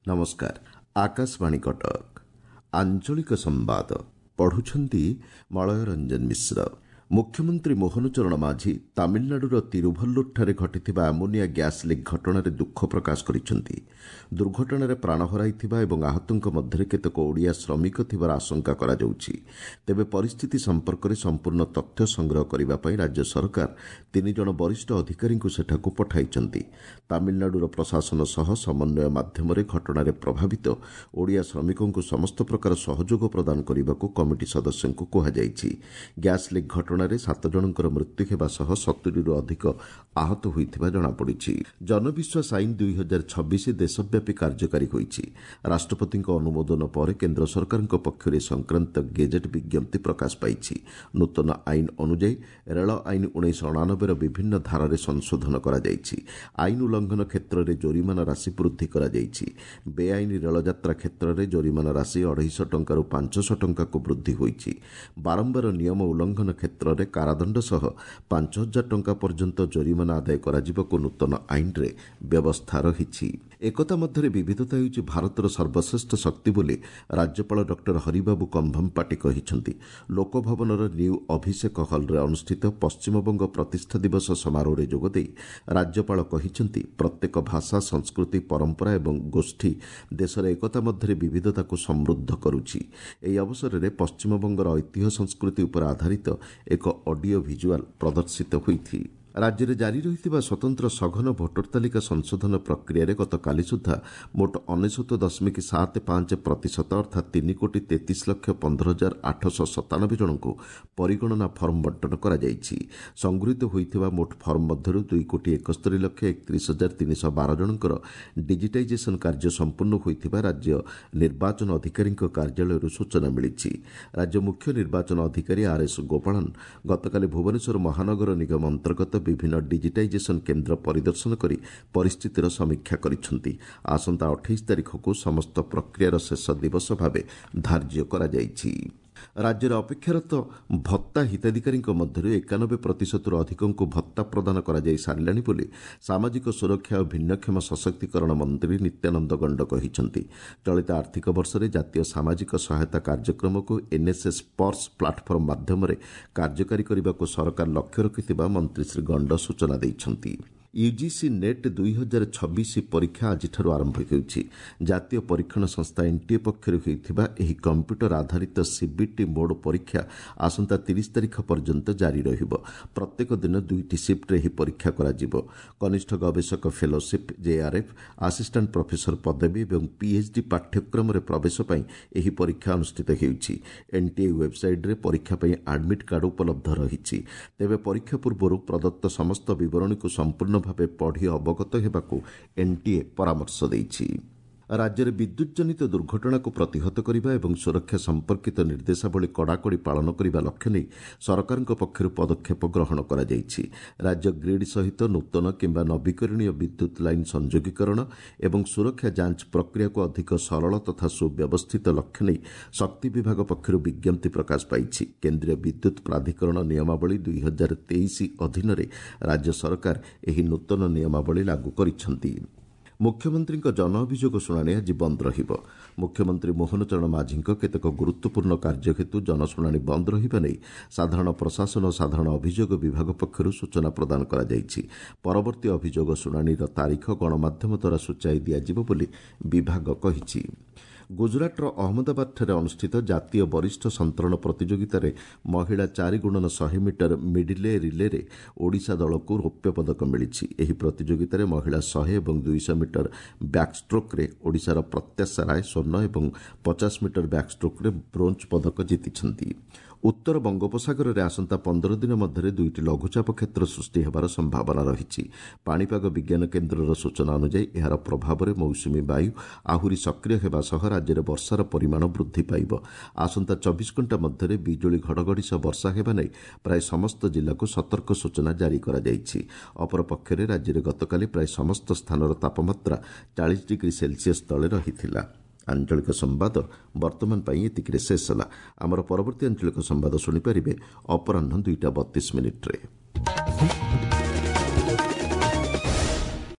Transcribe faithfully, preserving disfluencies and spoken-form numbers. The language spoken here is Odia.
ନମସ୍କାର, ଆକାଶବାଣୀ କଟକ। ଆଞ୍ଚଳିକ ସମ୍ବାଦ ପଢୁଛନ୍ତି ମଳୟ ରଞ୍ଜନ ମିଶ୍ର। ମୁଖ୍ୟମନ୍ତ୍ରୀ ମୋହନ ଚରଣ ମାଝୀ ତାମିଲନାଡୁର ତିରୁଭଲ୍ଲୁରଠାରେ ଘଟିଥିବା ଆମୋନିଆ ଗ୍ୟାସ୍ ଲିକ୍ ଘଟଣାରେ ଦୁଃଖ ପ୍ରକାଶ କରିଛନ୍ତି। ଦୁର୍ଘଟଣାରେ ପ୍ରାଣ ହରାଇଥିବା ଏବଂ ଆହତଙ୍କ ମଧ୍ୟରେ କେତେକ ଓଡ଼ିଆ ଶ୍ରମିକ ଥିବାର ଆଶଙ୍କା କରାଯାଉଛି। ତେବେ ପରିସ୍ଥିତି ସମ୍ପର୍କରେ ସମ୍ପୂର୍ଣ୍ଣ ତଥ୍ୟ ସଂଗ୍ରହ କରିବା ପାଇଁ ରାଜ୍ୟ ସରକାର ତିନି ଜଣ ବରିଷ୍ଠ ଅଧିକାରୀଙ୍କୁ ସେଠାକୁ ପଠାଇଛନ୍ତି। ତାମିଲନାଡୁର ପ୍ରଶାସନ ସହ ସମନ୍ୱୟ ମାଧ୍ୟମରେ ଘଟଣାରେ ପ୍ରଭାବିତ ଓଡ଼ିଆ ଶ୍ରମିକଙ୍କୁ ସମସ୍ତ ପ୍ରକାର ସହଯୋଗ ପ୍ରଦାନ କରିବାକୁ କମିଟି ସଦସ୍ୟଙ୍କୁ କୁହାଯାଇଛି। ଗ୍ୟାସ୍ ଲିକ୍ ଘଟଣା ଘଟଣାରେ ସାତ ଜଣଙ୍କର ମୃତ୍ୟୁ ହେବା ସହ ସତୁରିରୁ ଅଧିକ ଆହତ ହୋଇଥିବା ଜଣାପଡ଼ିଛି। ଜନବିଶ୍ୱାସ ଆଇନ ଦୁଇ ହଜାର ଛବିଶ ଦେଶବ୍ୟାପୀ କାର୍ଯ୍ୟକାରୀ ହୋଇଛି। ରାଷ୍ଟ୍ରପତିଙ୍କ ଅନୁମୋଦନ ପରେ କେନ୍ଦ୍ର ସରକାରଙ୍କ ପକ୍ଷରୁ ଏ ସଂକ୍ରାନ୍ତ ଗେଜେଟ୍ ବିଜ୍ଞପ୍ତି ପ୍ରକାଶ ପାଇଛି। ନୂତନ ଆଇନ ଅନୁଯାୟୀ ରେଳ ଆଇନ ଉଣେଇଶହ ଅଣାନବେର ବିଭିନ୍ନ ଧାରାରେ ସଂଶୋଧନ କରାଯାଇଛି। ଆଇନ ଉଲ୍ଲଂଘନ କ୍ଷେତ୍ରରେ ଜୋରିମାନା ରାଶି ବୃଦ୍ଧି କରାଯାଇଛି। ବେଆଇନ ରେଳଯାତ୍ରା କ୍ଷେତ୍ରରେ ଜୋରିମାନା ରାଶି ଅଢ଼େଇଶହ ଟଙ୍କାରୁ ପାଞ୍ଚଶହ ଟଙ୍କାକୁ ବୃଦ୍ଧି ହୋଇଛି। ବାରମ୍ବାର ନିୟମ ଉଲ୍ଲଂଘନ କ୍ଷେତ୍ରରେ କାରାଦଣ୍ଡ ସହ ପାଞ୍ଚ ହଜାର ଟଙ୍କା ପର୍ଯ୍ୟନ୍ତ ଜରିମାନା ଆଦାୟ କରାଯିବାକୁ ନୂତନ ଆଇନରେ ବ୍ୟବସ୍ଥା ରହିଛି। ଏକତା ମଧ୍ୟରେ ବିବିଧତା ହେଉଛି ଭାରତର ସର୍ବଶ୍ରେଷ୍ଠ ଶକ୍ତି ବୋଲି ରାଜ୍ୟପାଳ ଡକ୍ଟର ହରିବାବୁ କମ୍ଭମପାଟି କହିଛନ୍ତି। ଲୋକଭବନର ନ୍ୟୁ ଅଭିଷେକ ହଲ୍ରେ ଅନୁଷ୍ଠିତ ପଶ୍ଚିମବଙ୍ଗ ପ୍ରତିଷ୍ଠା ଦିବସ ସମାରୋହରେ ଯୋଗଦେଇ ରାଜ୍ୟପାଳ କହିଛନ୍ତି, ପ୍ରତ୍ୟେକ ଭାଷା, ସଂସ୍କୃତି, ପରମ୍ପରା ଏବଂ ଗୋଷ୍ଠୀ ଦେଶର ଏକତା ମଧ୍ୟରେ ବିବିଧତାକୁ ସମୃଦ୍ଧ କରୁଛି। ଏହି ଅବସରରେ ପଶ୍ଚିମବଙ୍ଗର ଐତିହ୍ୟ ସଂସ୍କୃତି ଉପରେ ଆଧାରିତ ଏକ ଅଡିଓ ଭିଜୁଆଲ୍ ପ୍ରଦର୍ଶିତ ହୋଇଛି। ରାଜ୍ୟରେ ଜାରି ରହିଥିବା ସ୍ୱତନ୍ତ୍ର ସଘନ ଭୋଟର ତାଲିକା ସଂଶୋଧନ ପ୍ରକ୍ରିୟାରେ ଗତକାଲି ସୁଦ୍ଧା ମୋଟ ଅନେଶତ ଦଶମିକ ସାତ ପାଞ୍ଚ ପ୍ରତିଶତ ଅର୍ଥାତ୍ ତିନି କୋଟି ତେତିଶ ଲକ୍ଷ ପନ୍ଦର ହଜାର ଆଠଶହ ସତାନବେ ଜଣଙ୍କୁ ପରିଗଣନା ଫର୍ମ ବଣ୍ଟନ କରାଯାଇଛି। ସଂଗୃହୀତ ହୋଇଥିବା ମୋଟ ଫର୍ମ ମଧ୍ୟରୁ ଦୁଇ କୋଟି ଏକସ୍ତରୀ ଲକ୍ଷ ଏକତିରିଶ ହଜାର ତିନିଶହ ବାର ଜଣଙ୍କର ଡିଜିଟାଇଜେସନ୍ କାର୍ଯ୍ୟ ସମ୍ପୂର୍ଣ୍ଣ ହୋଇଥିବା ରାଜ୍ୟ ନିର୍ବାଚନ ଅଧିକାରୀଙ୍କ କାର୍ଯ୍ୟାଳୟରୁ ସୂଚନା ମିଳିଛି। ରାଜ୍ୟ ମୁଖ୍ୟ ନିର୍ବାଚନ ଅଧିକାରୀ ଆର୍ ଏସ୍ ଗୋପାଳନ ଗତକାଲି ଭୁବନେଶ୍ୱର ମହାନଗର ନିଗମ ଅନ୍ତର୍ଗତ ବିଭିନ୍ନ ଡିଜିଟାଇଜେସନ୍ କେନ୍ଦ୍ର ପରିଦର୍ଶନ କରି ପରିସ୍ଥିତିର ସମୀକ୍ଷା କରିଛନ୍ତି। ଆସନ୍ତା ଅଠେଇଶ ତାରିଖକୁ ସମସ୍ତ ପ୍ରକ୍ରିୟାର ଶେଷ ଦିବସ ଭାବେ ଧାର୍ଯ୍ୟ କରାଯାଇଛି। ରାଜ୍ୟରେ ଅପେକ୍ଷାରତ ଭତ୍ତା ହିତାଧିକାରୀଙ୍କ ମଧ୍ୟରୁ ଏକାନବେ ପ୍ରତିଶତରୁ ଅଧିକଙ୍କୁ ଭତ୍ତା ପ୍ରଦାନ କରାଯାଇ ସାରିଲାଣି ବୋଲି ସାମାଜିକ ସୁରକ୍ଷା ଓ ଭିନ୍ନକ୍ଷମ ସଶକ୍ତିକରଣ ମନ୍ତ୍ରୀ ନିତ୍ୟାନନ୍ଦ ଗଣ୍ଡ କହିଛନ୍ତି। ଚଳିତ ଆର୍ଥିକ ବର୍ଷରେ ଜାତୀୟ ସାମାଜିକ ସହାୟତା କାର୍ଯ୍ୟକ୍ରମକୁ ଏନ୍ଏସ୍ଏସ୍ ପର୍ସ ପ୍ଲାଟଫର୍ମ ମାଧ୍ୟମରେ କାର୍ଯ୍ୟକାରୀ କରିବାକୁ ସରକାର ଲକ୍ଷ୍ୟ ରଖିଥିବା ମନ୍ତ୍ରୀ ଶ୍ରୀ ଗଣ୍ଡ ସୂଚନା ଦେଇଛନ୍ତି। ୟୁଜିସି ନେଟ୍ ଦୁଇ ହଜାର ଛବିଶ ପରୀକ୍ଷା ଆଜିଠାରୁ ଆରମ୍ଭ ହେଉଛି। ଜାତୀୟ ପରୀକ୍ଷଣ ସଂସ୍ଥା ଏନ୍ଟିଏ ପକ୍ଷରୁ ହେଉଥିବା ଏହି କମ୍ପ୍ୟୁଟର ଆଧାରିତ ସିବିଟି ମୋଡ୍ ପରୀକ୍ଷା ଆସନ୍ତା ତିରିଶ ତାରିଖ ପର୍ଯ୍ୟନ୍ତ ଜାରି ରହିବ। ପ୍ରତ୍ୟେକ ଦିନ ଦୁଇଟି ସିଫ୍ଟରେ ଏହି ପରୀକ୍ଷା କରାଯିବ। କନିଷ୍ଠ ଗବେଷକ ଫେଲୋସିପ୍, ଜେଆର୍ଏଫ୍, ଆସିଷ୍ଟାଣ୍ଟ ପ୍ରଫେସର ପଦବୀ ଏବଂ ପିଏଚ୍ଡି ପାଠ୍ୟକ୍ରମରେ ପ୍ରବେଶ ପାଇଁ ଏହି ପରୀକ୍ଷା ଅନୁଷ୍ଠିତ ହେଉଛି। ଏନ୍ଟିଏ ୱେବ୍ସାଇଟ୍ରେ ପରୀକ୍ଷା ପାଇଁ ଆଡମିଟ୍ କାର୍ଡ ଉପଲବ୍ଧ ରହିଛି। ତେବେ ପରୀକ୍ଷା ପୂର୍ବରୁ ପ୍ରଦତ୍ତ ସମସ୍ତ ବିବରଣୀକୁ ସମ୍ପୂର୍ଣ୍ଣ ଭାବେ ପଢ଼ି ଅବଗତ ହେବାକୁ ଏନ୍ଟିଏ ପରାମର୍ଶ ଦେଇଛି। ରାଜ୍ୟରେ ବିଦ୍ୟୁତ୍ ଜନିତ ଦୁର୍ଘଟଣାକୁ ପ୍ରତିହତ କରିବା ଏବଂ ସୁରକ୍ଷା ସମ୍ପର୍କିତ ନିର୍ଦ୍ଦେଶାବଳୀ କଡ଼ାକଡ଼ି ପାଳନ କରିବା ଲକ୍ଷ୍ୟ ନେଇ ସରକାରଙ୍କ ପକ୍ଷରୁ ପଦକ୍ଷେପ ଗ୍ରହଣ କରାଯାଇଛି। ରାଜ୍ୟ ଗ୍ରିଡ୍ ସହିତ ନୂତନ କିମ୍ବା ନବୀକରଣୀୟ ବିଦ୍ୟୁତ୍ ଲାଇନ୍ ସଂଯୋଗୀକରଣ ଏବଂ ସୁରକ୍ଷା ଯାଞ୍ଚ ପ୍ରକ୍ରିୟାକୁ ଅଧିକ ସରଳ ତଥା ସୁବ୍ୟବସ୍ଥିତ ଲକ୍ଷ୍ୟ ନେଇ ଶକ୍ତି ବିଭାଗ ପକ୍ଷରୁ ବିଜ୍ଞପ୍ତି ପ୍ରକାଶ ପାଇଛି। କେନ୍ଦ୍ରୀୟ ବିଦ୍ୟୁତ୍ ପ୍ରାଧିକରଣ ନିୟମାବଳୀ ଦୁଇ ହଜାର ତେଇଶ ଅଧୀନରେ ରାଜ୍ୟ ସରକାର ଏହି ନୂତନ ନିୟମାବଳୀ ଲାଗୁ କରିଛନ୍ତି। ମୁଖ୍ୟମନ୍ତ୍ରୀଙ୍କ ଜନ ଅଭିଯୋଗ ଶୁଣାଣି ଆଜି ବନ୍ଦ ରହିବ। ମୁଖ୍ୟମନ୍ତ୍ରୀ ମୋହନ ଚରଣ ମାଝୀଙ୍କ କେତେକ ଗୁରୁତ୍ୱପୂର୍ଣ୍ଣ କାର୍ଯ୍ୟ ହେତୁ ଜନଶୁଣାଣି ବନ୍ଦ ରହିବା ନେଇ ସାଧାରଣ ପ୍ରଶାସନ ଓ ସାଧାରଣ ଅଭିଯୋଗ ବିଭାଗ ପକ୍ଷରୁ ସୂଚନା ପ୍ରଦାନ କରାଯାଇଛି। ପରବର୍ତ୍ତୀ ଅଭିଯୋଗ ଶୁଣାଣିର ତାରିଖ ଗଣମାଧ୍ୟମ ଦ୍ୱାରା ସୂଚାଇ ଦିଆଯିବ ବୋଲି ବିଭାଗ କହିଛି। ଗୁଜରାଟର ଅହମ୍ମଦାବାଦଠାରେ ଅନୁଷ୍ଠିତ ଜାତୀୟ ବରିଷ୍ଠ ସନ୍ତରଣ ପ୍ରତିଯୋଗିତାରେ ମହିଳା ଚାରି ଗୁଣନ ଶହେ ମିଟର ମିଡିଲେ ରିଲେରେ ଓଡ଼ିଶା ଦଳକୁ ରୌପ୍ୟ ପଦକ ମିଳିଛି। ଏହି ପ୍ରତିଯୋଗିତାରେ ମହିଳା ଶହେ ଏବଂ ଦୁଇଶହ ମିଟର ବ୍ୟାକ୍ଷ୍ଟ୍ରୋକ୍ରେ ଓଡ଼ିଶାର ପ୍ରତ୍ୟାଶା ରାୟ ସ୍ୱର୍ଣ୍ଣ ଏବଂ ପଚାଶ ମିଟର ବ୍ୟାକ୍ଷ୍ଟ୍ରୋକ୍ରେ ବ୍ରୋଞ୍ଜ ପଦକ ଜିତିଛନ୍ତି। ଉତ୍ତର ବଙ୍ଗୋପସାଗରରେ ଆସନ୍ତା ପନ୍ଦର ଦିନ ମଧ୍ୟରେ ଦୁଇଟି ଲଘୁଚାପ କ୍ଷେତ୍ର ସୃଷ୍ଟି ହେବାର ସମ୍ଭାବନା ରହିଛି। ପାଣିପାଗ ବିଜ୍ଞାନ କେନ୍ଦ୍ରର ସୂଚନା ଅନୁଯାୟୀ ଏହାର ପ୍ରଭାବରେ ମୌସୁମୀ ବାୟୁ ଆହୁରି ସକ୍ରିୟ ହେବା ସହ ରାଜ୍ୟରେ ବର୍ଷାର ପରିମାଣ ବୃଦ୍ଧି ପାଇବ। ଆସନ୍ତା ଚବିଶ ଘଣ୍ଟା ମଧ୍ୟରେ ବିଜୁଳି ଘଡ଼ଘଡ଼ି ସହ ବର୍ଷା ହେବା ନେଇ ପ୍ରାୟ ସମସ୍ତ ଜିଲ୍ଲାକୁ ସତର୍କ ସୂଚନା ଜାରି କରାଯାଇଛି। ଅପରପକ୍ଷରେ ରାଜ୍ୟରେ ଗତକାଲି ପ୍ରାୟ ସମସ୍ତ ସ୍ଥାନର ତାପମାତ୍ରା ଚାଳିଶ ଡିଗ୍ରୀ ସେଲସିୟସ୍ ତଳେ ରହିଥିଲା। ଆଞ୍ଚଳିକ ସମ୍ବାଦ ବର୍ତ୍ତମାନ ପାଇଁ ଏତିକିରେ ଶେଷ ହେଲା। ଆମର ପରବର୍ତ୍ତୀ ଆଞ୍ଚଳିକ ସମ୍ବାଦ ଶୁଣିପାରିବେ ଅପରାହ୍ନ ଦୁଇଟା ବତିଶ ମିନିଟ୍ରେ।